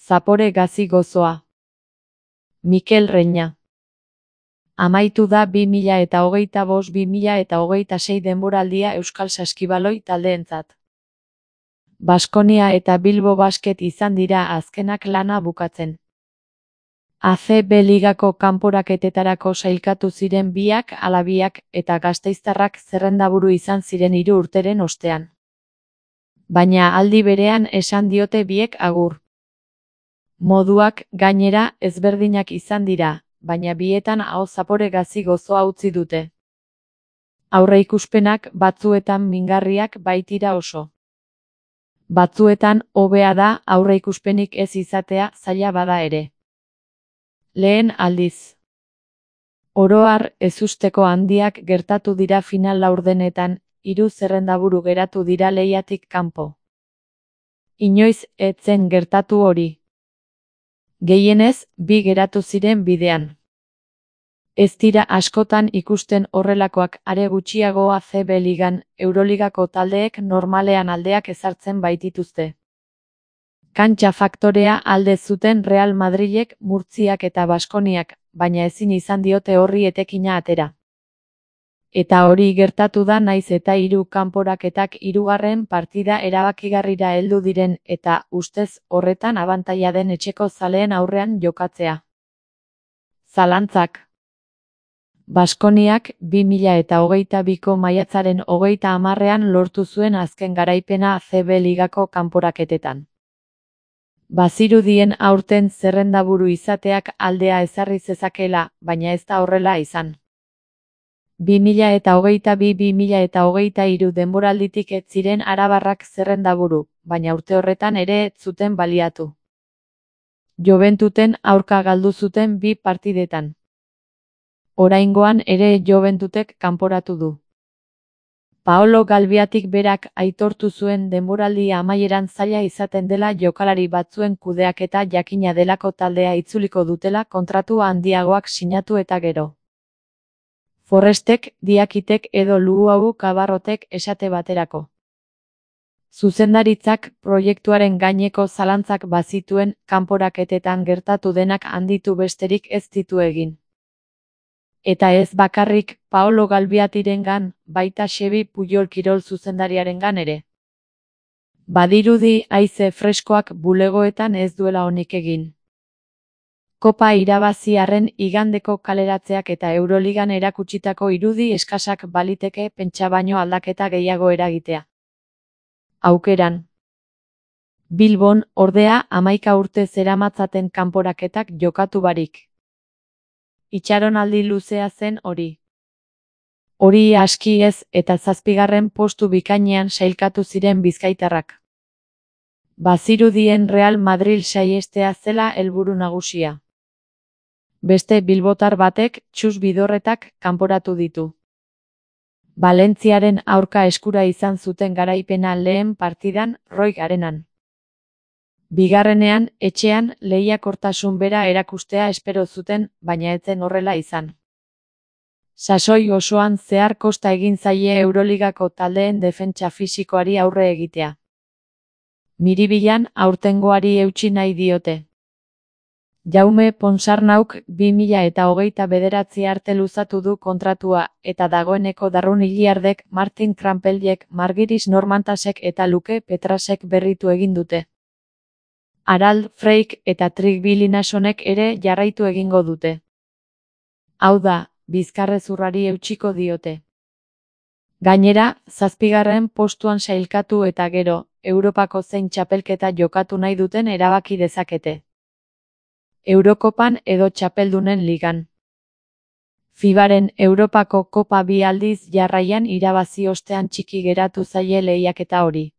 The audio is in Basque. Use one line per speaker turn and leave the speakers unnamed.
Zapore gazi gozoa. Mikel Reña. Amaitu da 2025-2026 denboraldia Euskal Saskibaloi taldeentzat. Baskonia eta Bilbo Basket izan dira azkenak lana bukatzen. ACB ligako kanporaketetarako sailkatu ziren biak ala biak eta gasteiztarrak zerrendaburu izan ziren 3 urteren ostean. Baina aldi berean esan diote biek agur. Moduak, gainera, ezberdinak izan dira, baina bietan aho zapore gazi gozoa utzi dute. Aurreikuspenak batzuetan mingarriak baitira oso. Batzuetan hobea da aurreikuspenik ez izatea zaila bada ere. Lehen aldiz. Oro har ezusteko handiak gertatu dira final laurdenetan, 3 zerrendaburu geratu dira lehiatik kanpo. Inoiz ez zen gertatu hori. Gehienez, 2 geratu ziren bidean. Ez dira askotan ikusten horrelakoak, are gutxiago ACB ligan, Euroligako taldeek normalean aldeak ezartzen baitituzte. Kantxa faktorea alde zuten Real Madrilek, Murtziak eta Baskoniak, baina ezin izan diote horri etekina atera. Eta hori gertatu da naiz eta 3 kanporaketak 3. partida erabakigarrira heldu diren eta, ustez, horretan abantaila den etxeko zaleen aurrean jokatzea. Zalantzak. Baskoniak 2022ko maiatzaren 30ean lortu zuen azken garaipena ACB ligako kanporaketetan. Bazirudien aurten zerrendaburu izateak aldea ezarri zezakela, baina ez da horrela izan. 2022-2023 denboralditik ez ziren arabarrak zerrendaburu, baina urte horretan ere ez zuten baliatu. Joventuten aurka galdu zuten 2 partidetan. Oraingoan ere Juventutek kanporatu du. Paolo Galbiatik berak aitortu zuen denboraldi amaieran zaila izaten dela jokalari batzuen kudeaketa jakina delako taldea itzuliko dutela kontratu handiagoak sinatu eta gero. Forrestek, Diakitek edo Luau Kabarrotek esate baterako. Zuzendaritzak proiektuaren gaineko zalantzak bazituen, kanporaketetan gertatu denak handitu besterik ez ditu egin. Eta ez bakarrik Paolo Galbiatirengan, baita Xebi Puyol kirol zuzendariarengan ere. Badirudi haize freskoak bulegoetan ez duela onik egin. Kopa irabazi arren igandeko kaleratzeak eta Euroligan erakutsitako irudi eskasak baliteke pentsa baino aldaketa gehiago eragitea. Aukeran. Bilbon, ordea, 11 urte zeramatzaten kanporaketak jokatu barik. Itxaronaldi luzea zen hori. Hori aski ez eta 7. postu bikainean sailkatu ziren bizkaitarrak. Bazirudien Real Madrid saihestea zela helburu nagusia. Beste bilbotar batek, Txus Bidorretak, kanporatu ditu. Valentziaren aurka eskura izan zuten garaipena lehen partidan, Roig Arenan. Bigarrenean, etxean, lehiakortasun bera erakustea espero zuten, baina ez zen horrela izan. Sasoi osoan zehar kosta egin zaie Euroligako taldeen defentsa fisikoari aurre egitea. Miribilan aurtengoari eutsi nahi diote. Jaume Ponsarnauk 2029 arte luzatu du kontratua eta dagoeneko Darrun Iliardek, Martin Krampeljek, Margiris Normantasek eta Luke Petrasek berritu egin dute. Harald Freik eta Trik Bilinasonek ere jarraitu egingo dute. Hau da, bizkarrezurrari eutsiko diote. Gainera, 7. postuan sailkatu eta gero, Europako zein txapelketa jokatu nahi duten erabaki dezakete. Eurokopan edo txapeldunen ligan. FIBaren Europako Kopa 2 aldiz jarraian irabazi ostean txiki geratu zaie lehiaketa hori.